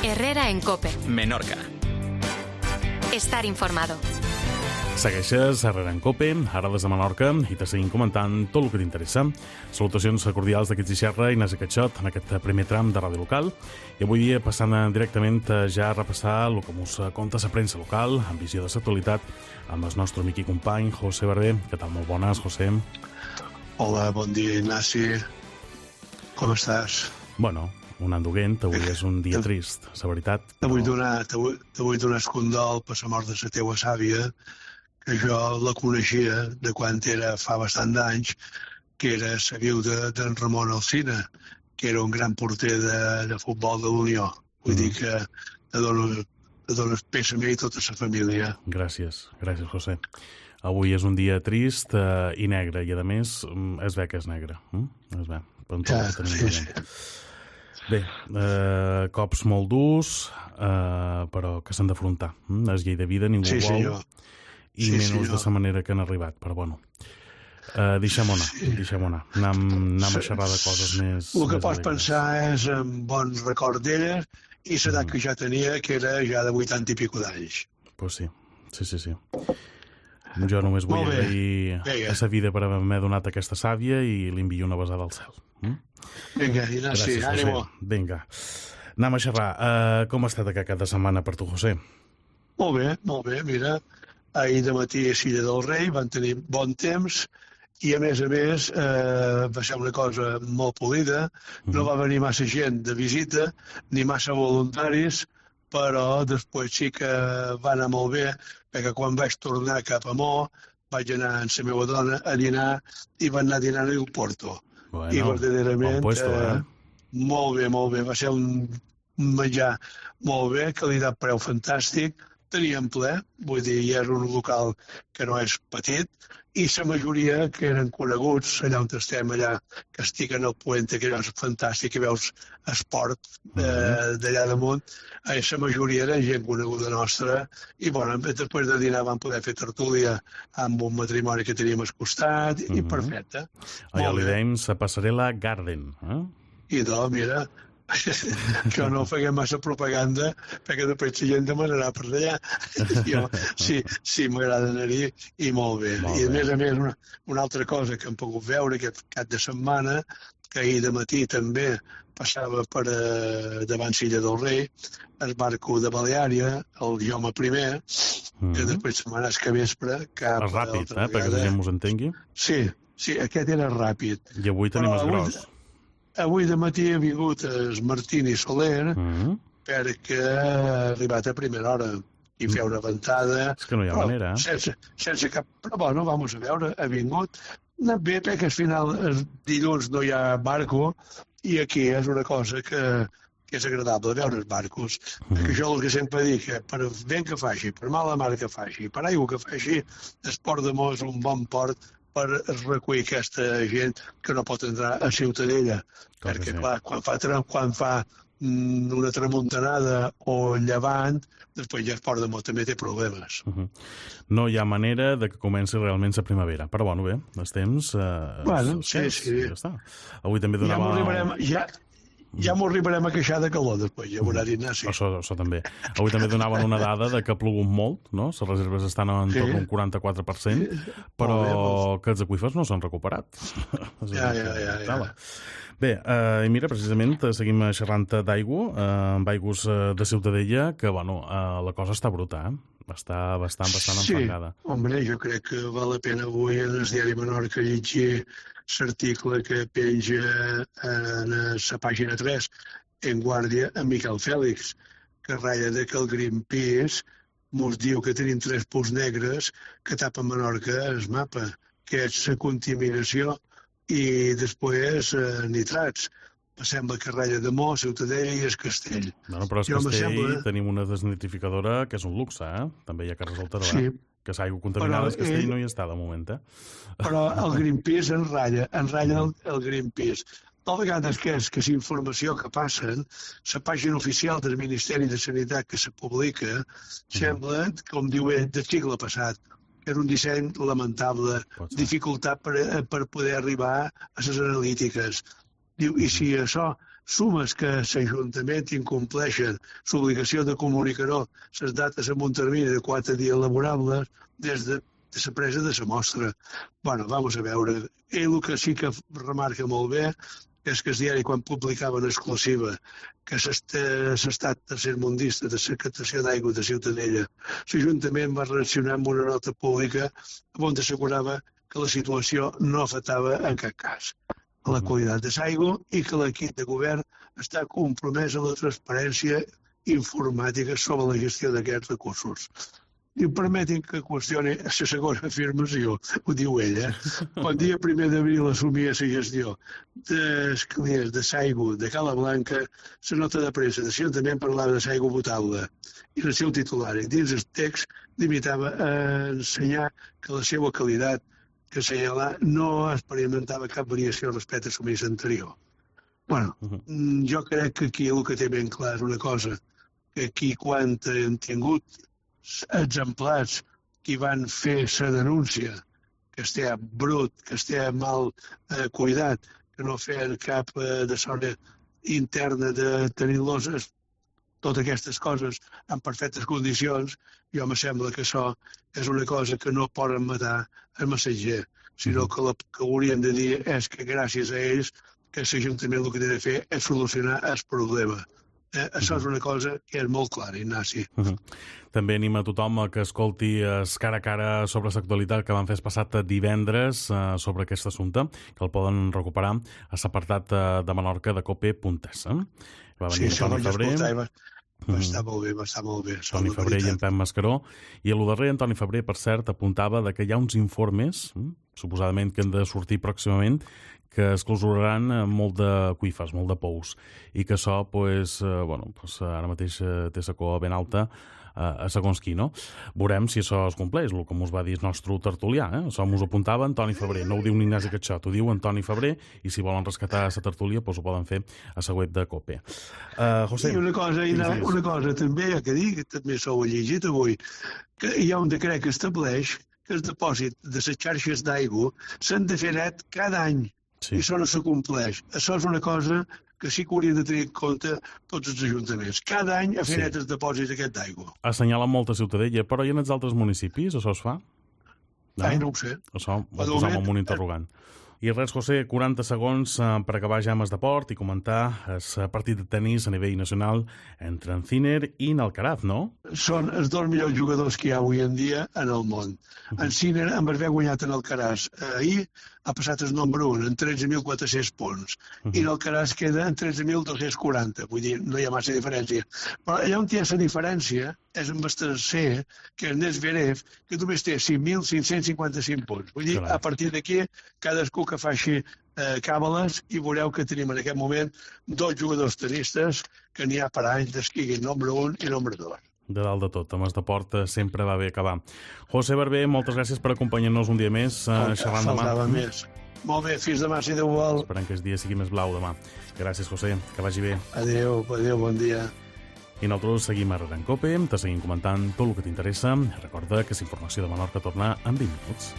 Herrera en COPE. Menorca. Estar informado. Segueixes a Herrera en COPE, ara des de Menorca, i te seguim comentant tot el que t'interessa. Salutacions cordials d'aquí Xixerra, Ignasi Catxot, en aquest primer tram de ràdio local. I avui passant directament ja a repassar el que mos conta la premsa local, amb visió de l'actualitat, amb el nostre amic i company, José Barber. Què tal? Molt bones, José. Hola, bon dia, Ignasi. Com estàs? Bueno, un anduguent, avui és un dia trist, la veritat. T'vull donar el condol per la mort de la teua sàvia, que jo la coneixia de quan era fa bastant d'anys, que era la viuda d'en Ramon Alsina, que era un gran porter de futbol de l'Unió. Vull dir que te dono pèsame i tota la família. Gràcies, José. Avui és un dia trist i negre, i a més es ve que és negre. Es ve. Sí. Bé, cops molt durs, però que s'han d'afrontar. És llei de vida, ningú vol. Senyor. I menys de la manera que han arribat, però bueno. Deixem-ho anar. Anem a xerrar de coses més... El que pots pensar és en bons records d'ella i l'edat que ja tenia, que era ja de 80 i pico d'anys. Pues sí. Jo només vull agrair a la vida per haver-me donat aquesta sàvia i li envio una besada al cel. Vinga, Ignasi, ànimo. Vinga. Anem a xerrar. Com ha estat aquest cap de setmana per tu, José? Molt bé, mira. Ahir de matí a Silla del Rei van tenir bon temps i, a més, va ser una cosa molt polida. No va venir massa gent de visita, ni massa voluntaris, però després sí que va anar molt bé, perquè quan vaig tornar cap a Mo vaig anar amb la meva dona a dinar i van anar dinant a Porto. Bueno, i verdaderament bon puesto, molt bé. Va ser un menjar molt bé, qualitat-preu fantàstic. Teníem ple, vull dir, és un local que no és petit, i la majoria que eren coneguts, allà on estem, allà que estic en el Puente, que és fantàstic, que veus esport d'allà damunt, la majoria era gent coneguda nostra, i bueno, després de dinar vam poder fer tertúlia amb un matrimoni que teníem al costat, i perfecte. Allà li dèiem la Passarel·la Garden. I doncs, mira, jo no feia massa propaganda perquè després la gent demanarà per allà. Jo sí m'agrada anar-hi i molt bé. I a més, una altra cosa que hem pogut veure aquest cap de setmana, que ahir de matí també passava per davant Silla del Rei, el barco de Baleària, el Jaume I, que després se'n va anar a vespre cap el ràpid, perquè la gent us entengui. Sí, aquest era ràpid. I avui tenim el gros. Avui de matí ha vingut el Martini Soler perquè ha arribat a primera hora i fer una ventada. És que no hi ha manera. Sense cap... Però bueno, vamos a veure, ha vingut. No bé, perquè al final el dilluns no hi ha barco i aquí és una cosa que és agradable veure els barcos. Perquè jo el que sempre dic, que per vent que faci, per mala mar que faci, per aigua que faci, el Port de Mo és un bon port per recollir aquesta gent que no pot entrar a Ciutadella. Perquè, clar, quan fa una tramuntanada o llevant, després ja el Port de Mo també té problemes. No hi ha manera de que comenci realment la primavera. Però, bueno, bé, els temps... Bueno, sí. Ja està. Avui també donava... Ja m'ho arribarem a queixar de calor després, ja veurà Ignasi. Això també. Avui també donaven una dada de que ha plogut molt, no? Les reserves estan en tot un 44%, però que els aqüífers no s'han recuperat. Ja. Bé, i mira, precisament seguim xerrant d'aigua, amb aigües de Ciutadella, que, bueno, la cosa està bruta, Està bastant enfangada. Sí, hombre, jo crec que val la pena avui en el diari Menorca llegir l'article que penja en la pàgina 3 en Guàrdia amb Miquel Fèlix, que ratlla que el Greenpeace mos diu que tenim 3 punts negres que tapen Menorca el mapa, que és la contaminació i després nitrats. Sembla que ratlla de Mo, Ciutadella i el Castell. Bueno, però el Castell tenim una desnitrificadora que és un luxe, També hi ha Carles Alterà. Sí. Que s'aigua contaminada al Castell no hi està de moment, Però el Greenpeace en ratlla el Greenpeace. De vegades que és informació que passen, la pàgina oficial del Ministeri de Sanitat que se publica, sembla, com diu ell, del segle passat. Era un disseny lamentable, dificultat per poder arribar a les analítiques. Diu, i si això sumes que l'Ajuntament incompleixen l'obligació de comunicar-ho les dates en un termini de 4 dies laborables des de la presa de la mostra. Bueno, vamos a veure. Ell el que sí que remarca molt bé és que el diari, quan publicava en exclusiva que l'estat tercermundista de la captació d'aigua de Ciutadella, l'Ajuntament va reaccionar amb una nota pública on assegurava que la situació no afectava en cap cas a la qualitat de l'aigua i que l'equip de govern està compromès a la transparència informàtica sobre la gestió d'aquests recursos. I permetin que qüestioni la segona afirmació, ho diu ella. Quan dia 1 d'abril assumia la gestió dels clients de l'aigua de Cala Blanca, la nota de premsa de l'Ajuntament parlava de l'aigua potable i el seu titular, dins el text, limitava a ensenyar que la seva qualitat que assenyalar no experimentava cap variació respecte al subministre anterior. Bueno, jo crec que aquí el que té ben clar és una cosa, que aquí quan hem tingut exemplars que van fer la denúncia, que estigui brut, que estigui mal cuidat, que no feien cap de sort interna de tenir-los totes aquestes coses en perfectes condicions, jo me sembla que això és una cosa que no poden matar el missatger, sinó que el que hauríem de dir és que gràcies a ells que l'Ajuntament el que té de fer és solucionar el problema. Això és una cosa que és molt clara, Ignasi. També anima a tothom que escolti cara a cara sobre l'actualitat que van fer el passat divendres sobre aquest assumpte, que el poden recuperar a l'apartat de Menorca de cope.es. Va venir Toni Febrer. Va estar molt bé. Toni Febrer i en Pep Mascaró. I a lo darrer, en Toni Febrer, per cert, apuntava que hi ha uns informes, suposadament que han de sortir pròximament, que es clausuraran molt d'aqüífers, molt de pous, i que això, ara mateix té la cua ben alta a segons qui, no? Veurem si això es compleix, el que mos va dir el nostre tertulià, Això mos apuntava en Toni Febrer, no ho diu ni Ignasi Catxot, ho diu en Toni Febrer, i si volen rescatar la tertúlia, ho poden fer a la web de COPE. José... I una cosa també, que dic, que també s'ho he llegit avui, que hi ha un decret que estableix que el dipòsit de les xarxes d'aigua s'han de fer net cada any. Sí. I això no s'acompleix. Això és una cosa que sí que haurien de tenir en compte tots els ajuntaments. Cada any a fer net els dipòsits d'aquest d'aigua. Assenyala molta Ciutadella, però i en els altres municipis això es fa? No ho sé. Això ho posam amb un interrogant. I res, José, 40 segons per acabar ja amb el deport i comentar el partit de tenis a nivell nacional entre en Sinner i en Alcaraz, no? Són els dos millors jugadors que hi ha avui en dia en el món. En Sinner, amb haver guanyat en Alcaraz ahir, ha passat el nombre 1, en 13.400 punts. I l'Alcaraz queda en 13.240. Vull dir, no hi ha massa diferència. Però allà on hi ha la diferència és amb el tercer, que és Nesverev, que només té 5.555 punts. Vull dir, a partir d'aquí, cadascú que faci càbales i veureu que tenim en aquest moment dos jugadors tenistes que n'hi ha per anys d'esquiguin nombre 1 i nombre 2. De dalt de tot, amb el deport sempre va bé acabar. José Barber, moltes gràcies per acompanyar-nos un dia més xerrant demà. Faltava més. Molt bé, fins demà, si Déu vol. Esperem que el dia sigui més blau demà. Gràcies, José, que vagi bé. Adéu, bon dia. I nosaltres seguim a Rere en Cope, te seguim comentant tot el que t'interessa. Recorda que la informació de Menorca torna en 20 minuts.